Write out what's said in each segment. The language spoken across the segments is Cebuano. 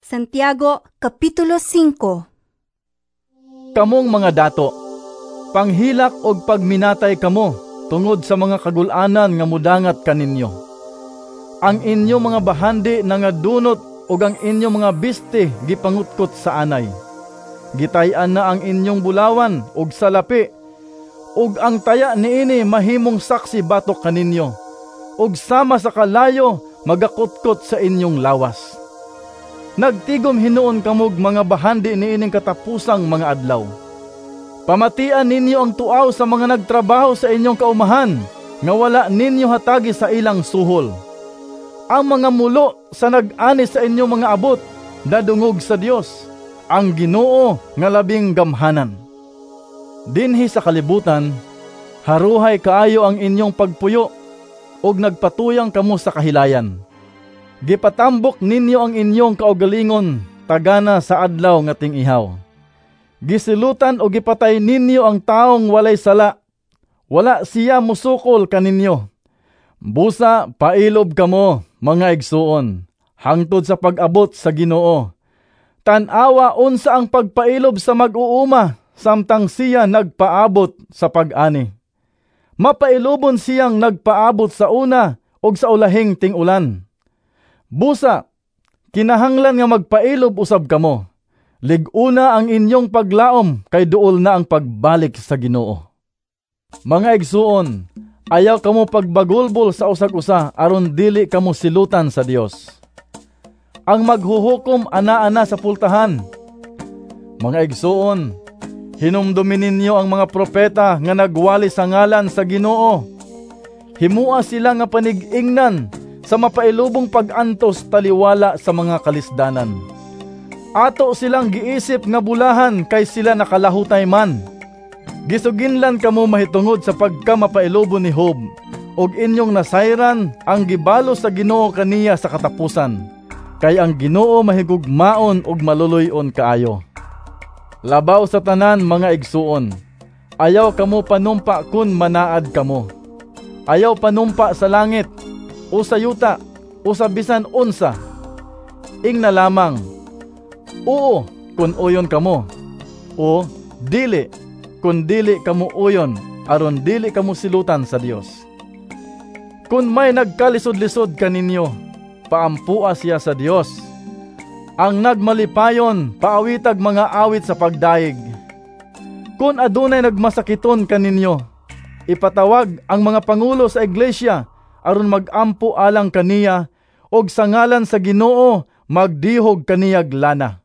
Santiago, Kapitulo 5. Kamong mga dato, panghilak og pagminatay kamo tungod sa mga kagul-anan nga mudangat kaninyo. Ang inyo mga bahandi nangadunot ug ang inyo mga biste gipangutkot sa anay. Gitay-an na ang inyong bulawan ug salapi, ug ang taya niini mahimong saksi batok kaninyo, ug sama sa kalayo magakutkot sa inyong lawas. Nagtigom hinuon kamog mga bahandi niining katapusang mga adlaw. Pamatian ninyo ang tuaw sa mga nagtrabaho sa inyong kaumahan, nga wala ninyo hatagi sa ilang suhol. Ang mga mulo sa nag-ani sa inyong mga abot, nadungog sa Dios, ang Ginoo nga labing gamhanan. Dinhi sa kalibutan, haruhay kaayo ang inyong pagpuyo, ug nagpatuyang kamo sa kahilayan. Gipatambok ninyo ang inyong kaugalingon tagana sa adlaw nga ting-ihaw. Gisilutan o gipatay ninyo ang taong walay sala. Wala siya musukol kaninyo. Busa pailob kamo, mga igsuon, hangtod sa pag-abot sa Ginoo. Tan-awa unsa ang pagpailob sa mag-uuma samtang siya nagpaabot sa pag-ani. Mapailobon siyang nagpaabot sa una ug sa ulahing ting-ulan. Busa, kinahanglan nga magpailob usab kamo. Lig-una ang inyong paglaom kay duol na ang pagbalik sa Ginoo. Mga igsuon, ayaw kamo pagbagulbol sa usag-usa aron dili kamo silutan sa Dios. Ang maghuhukom ana-ana sa pultahan. Mga igsuon, hinumdumi ninyo ang mga propeta nga nagwali sa ngalan sa Ginoo. Himua sila nga panig-ingnan sa mapailubong pag-antos taliwala sa mga kalisdanan. Ato silang giisip nga bulahan kay sila nakalahutay man. Gisuginlan kamo mahitungod sa pagkamapailubon ni Job, ug inyong nasayran ang gibalo sa Ginoo kaniya sa katapusan, kay ang Ginoo mahigugmaon ug maluluy-on kaayo. Labaw sa tanan, mga igsuon, ayaw kamo panumpa kun manaad kamo. Ayaw panumpa sa langit, o sa yuta, o sa bisan unsa. Ingna lamang, oo kun uyon kamo, o dili kun dili kamo uyon, aron dili kamo silutan sa Dios. Kun may nagkalisod-lisod kaninyo, paampua siya sa Dios. Ang nagmalipayon, paawitag mga awit sa pagdayeg. Kun adunay nagmasakiton kaninyo, ipatawag ang mga pangulo sa iglesia aron magampo alang kaniya, og sa ngalan sa Ginoo magdihog kaniyag lana.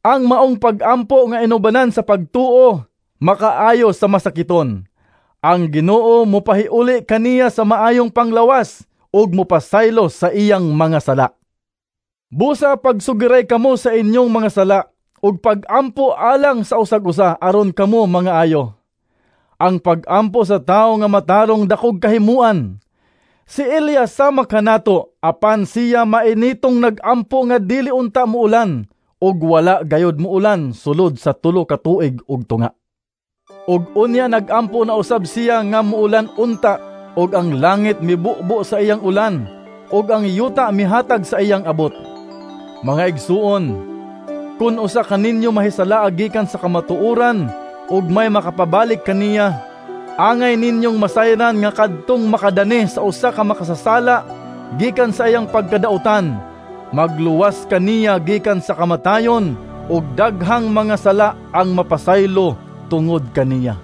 Ang maong pagampo nga inubanan sa pagtuo makaayo sa masakiton. Ang Ginoo mopahiuli kaniya sa maayong panglawas ug mopasaylo sa iyang mga sala. Busa pagsugiray kamo sa inyong mga sala ug pagampo alang sa usag-usa aron kamo mga ayo. Ang pagampo sa tawo nga matarong dakog kahimuan. Si Elias sama kanato, apan siya mainitong nagampo nga dili unta muulan, ug wala gayod muulan sulod sa 3 ka tuig ug tunga. Ug unya nagampo na usab siya nga muulan unta, ug ang langit mibubo sa iyang ulan, ug ang yuta mihatag sa iyang abot. Mga igsuon, kun usa kaninyo mahisala gikan sa kamatuoran ug may makapabalik kaniya, angay ninyong masayran nga kadtong makadani sa usa ka makasasala gikan sa iyang pagkadautan, magluwas kaniya gikan sa kamatayon, ug daghang mga sala ang mapasaylo tungod kaniya.